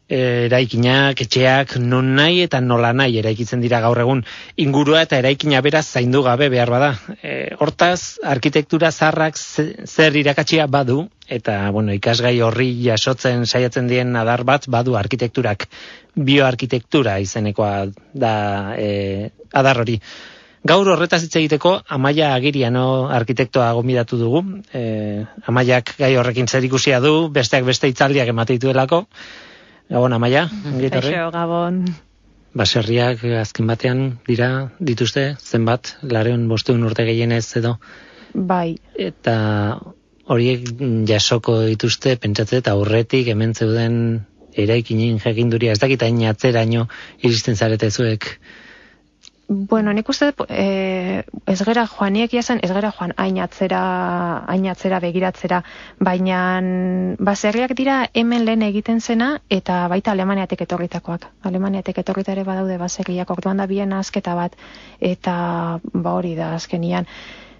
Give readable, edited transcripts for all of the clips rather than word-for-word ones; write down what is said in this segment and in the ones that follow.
eraikinak, etxeak, non nahi eta nola nahi eraikitzen dira gaur egun, ingurua eta eraikina beraz zaindu gabe behar bada. Hortaz, arkitektura zaharrak zer irakatsia badu, eta ikasgai horri jasotzen saiatzen dien adar bat badu arkitekturak, bioarkitektura izenekoa da adar hori. Gaur horretaz hitz egiteko Amaia Agiriano arkitektoa gonbidatu dugu. Amaiak gai horrekin zerikusia du, besteak beste hitzaldiak ematen dituelako. Gabon, Amaia. Kaixo, Gabon. Baserriak azken batean dituzte, zenbat, 500 urte gehienez edo. Bai. Eta horiek jasoko dituzte, pentsatzen eta aurretik hemen zeuden eraikinen jakinduria, ez dakit hain atzeraino iristen zarete zuek. Bueno, nik uste ez gera joaniek jazen, ez gera joan hain atzera begiratzera, baina baserriak dira hemen lehen egiten zena eta baita Alemaniatik etorritakoak. Alemaniatik etorritare badaude baserriak, orduan da bien azketa bat, eta hori da azkenian.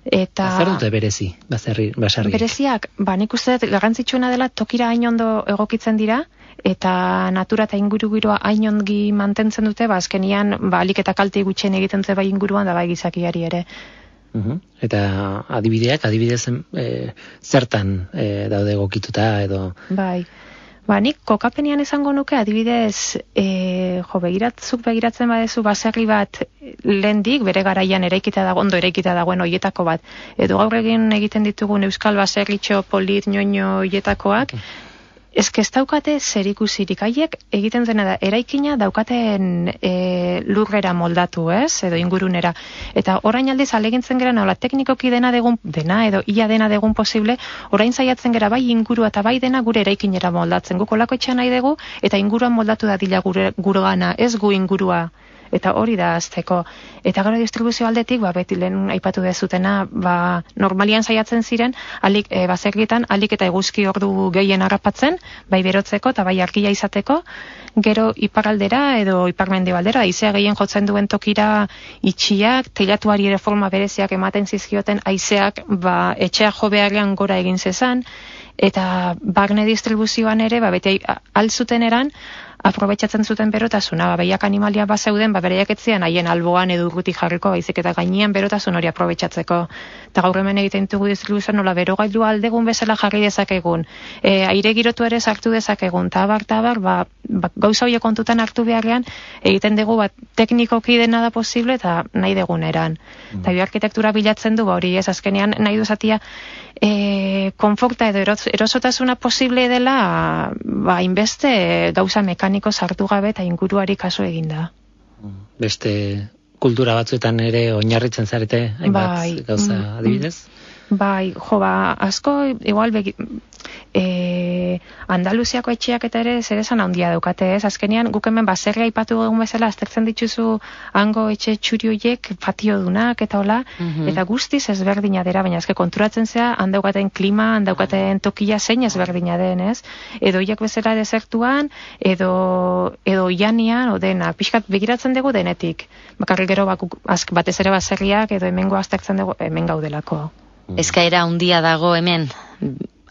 Eta zer dute berezi, baserriak? Bereziak, nik uste garrantzitsuena dela tokira hain ondo egokitzen dira, eta natura eta ingurugiroa hain ongi mantentzen dute, azkenian alik eta kalte gutxien egiten ze bai inguruan da bai gizakiari ere. Eta adibidez zertan daude egokituta edo? Bai. Nik kokapenean esango nuke adibidez, begiratzen badezu baserri bat lehendik, bere garaian ondo eraikita dagoen hoietako bat. Edo gaur egiten ditugun euskal baserritxo polit ñoño hoietakoak, ez daukate zerikusirik, haiek egiten dena da, eraikina daukaten lurrera moldatu, edo ingurunera. Eta orain aldiz alegintzen gera, nola teknikoki dena edo ia dena degun posible, orain saiatzen gera bai ingurua eta bai dena gure eraikinera moldatzen. Guk olako etxean nahi dugu, eta inguruan moldatu da dila gurgana, ez gu ingurua. Eta hori da azteko. Eta gero distribuzio aldetik, beti lehen aipatu dezutena, normalian saiatzen ziren, baserrietan, alik eta eguzki ordu gehien harrapatzen, bai berotzeko eta bai argia izateko, gero iparraldera edo iparmendebaldera, haizea gehien jotzen duen tokira itxiak, teilatuari ere forma bereziak ematen zizkioten, haizeak etxea jo beharrean gora egin zezan, eta barne distribuzioan ere, beti alzuten eran, aprobetxatzen zuten berotasuna, behiak animalia bazeuden, bereiak etzian haien alboan edo urrutik jarriko, baizik eta gainean berotasun hori aprobetxatzeko. Eta gaur hemen egiten dugu distribuzioan nola berogailu aldegun bezala jarri dezakegun, aire girotu ere sartu dezakegun, tabar, gauza horiek kontutan hartu beharrean, egiten dugu teknikoki dena da posible eta nahi deguneran. Eta bioarkitektura bilatzen du, hori ez azkenean nahi duzatia, konforta edo erosotasuna posible dela, inbeste gauza mekaniko sartu gabe eta inguruari kaso eginda. Beste kultura batzuetan ere oinarritzen zarete, hainbat gauza adibidez? Bai, asko, igual, Andaluziako etxeak eta ere zer esan handia daukate, ez? Azkenean, guk hemen baserria aipatu egun bezala, aztertzen dituzu hango etxe txuri horiek, patio dunak eta hola, eta guztiz ezberdina dira, baina konturatzen zea, handaukaten klima, handaukaten tokia zein ezberdina den, ez? Edo hiek bezala desertuan, edo ianian, dena, pixkat begiratzen dugu denetik. Bakarrik gero batez ere baserriak, edo hemengo aztertzen dugu, hemen gaudelako. Eskaera handia dago hemen,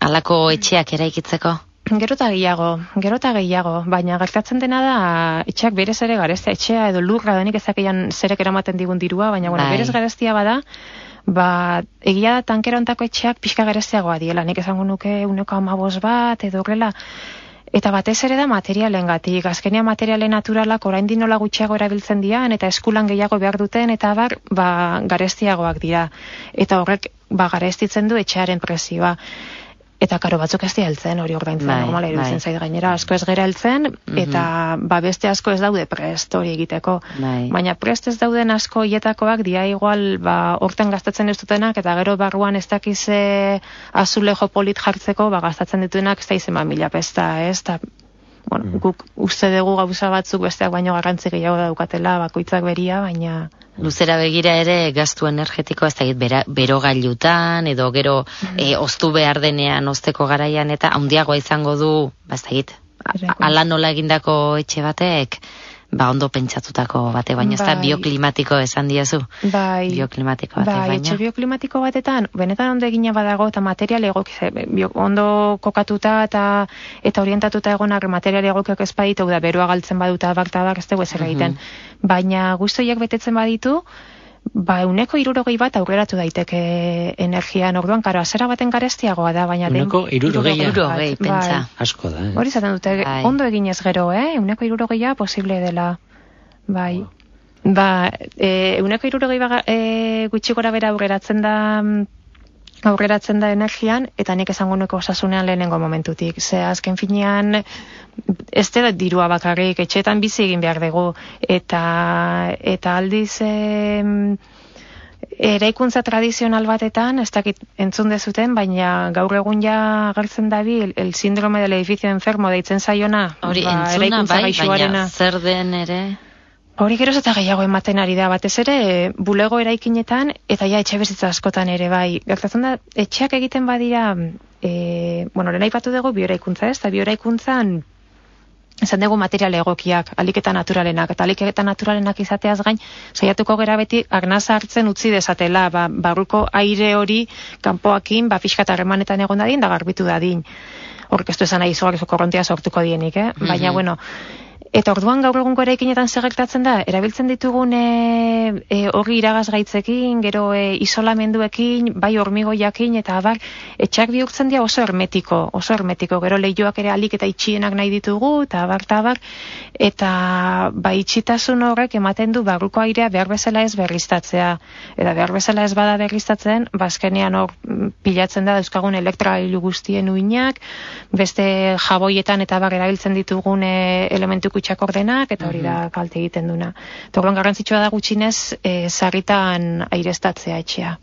halako etxeak eraikitzeko? Gero eta gehiago, baina gertatzen dena da etxeak berez ere garestea, etxea edo lurra denik ezakeian zerek eramaten digun dirua, baina berez garestia bada, egia da tankera ontako etxeak pixka garesteagoa diela, nik esango nuke 1,5 bat edo horrela. Eta batez ere da materialengatik, azkenean materiale naturalak oraindik nola gutxiago erabiltzen dian eta eskulan gehiago behar duten eta garestiagoak dira. Eta horrek garestitzen du etxearen prezioa. Eta karo batzuk ez heltzen hori ordaintzen, normala iruditzen zait gainera, asko ez gera heltzen, eta beste asko ez daude prest hori egiteko. Baina prest ez dauden asko hietakoak dia igual horten gastatzen ez dutenak, eta gero barruan ez dakize azulejo polit jartzeko gastatzen dituenak ez da izen 1000 pesta, ez? Guk uste dugu gauza batzuk besteak baino garrantzi gehiago daukatela, bakoitzak beria, baina... Luzera begira ere gastu energetiko ez da berogailutan edo gero oztu behar denean ozteko garaian eta handiagoa izango du, ez da ala nola egindako etxe batek ondo pentsatutako bate, baina ez da bioklimatiko esan diazu. Bai. Bioklimatiko bate, baina. Etxe bioklimatiko batetan, benetan ondo egina badago, eta material ondo kokatuta eta orientatuta egonak material egokiak ez baditu, da beroa galtzen baduta baktabak ez dugu ezer egiten. Baina guztoiak betetzen baditu, 160 bat aurreratu daiteke energian, orduan, karo, azera baten garestiagoa da, baina 160 pentsa. Asko da, Hori zaten dute, ondo eginez gero, 160 posible dela, bai. 160 gutxi gora bera aurreratzen da energian, eta nik esango nuke osasunean lehenengo momentutik. Ze azken finean, ez da dirua bakarrik, etxeetan bizi egin behar dugu, eta aldiz eraikuntza tradizional batetan, ez dakit entzun dezuten, baina gaur egun ja agertzen dabil, el síndrome del edificio enfermo deitzen zaiona. Hori entzuna baina zer den ere... Hori geroz eta gehiago ematen ari da, batez ere, bulego eraikinetan, eta ja etxe bizitza askotan ere, bai. Gertatzen da, etxeak egiten badira, lehen aipatu dugu bioeraikuntza ez, eta bioeraikuntzan esan dugu material egokiak, aliketa naturalenak, eta aliketa naturalenak izateaz gain, saiatuko gera beti arnaza hartzen utzi dezatela, barruko aire hori kanpoakin, pixka eta harremanetan egon dadin, da garbitu dadin. Orkestu esan nahi izugarrizko korrontea sortuko dienik, baina, bueno, eta orduan gaur egungo eraikinetan zer gertatzen da, erabiltzen ditugun hori iragazgaitzekin, gero isolamenduekin, bai hormigoiakin, eta abar, etxak bihurtzen dira oso hermetiko, gero lehioak ere alik eta itxienak nahi ditugu, eta abar, eta bai itxitasun horrek ematen du barruko airea behar bezala ez berriztatzea, eta behar bezala ez bada berriztatzen, bazkenean hor pilatzen da dauzkagun elektrailu guztien uinak, beste jaboietan eta bar erabiltzen ditugun elementu kutsakordenak, eta hori da kalte egiten duna. Torron garrantzitsua da gutxinez, sarritan aireztatzea etxea.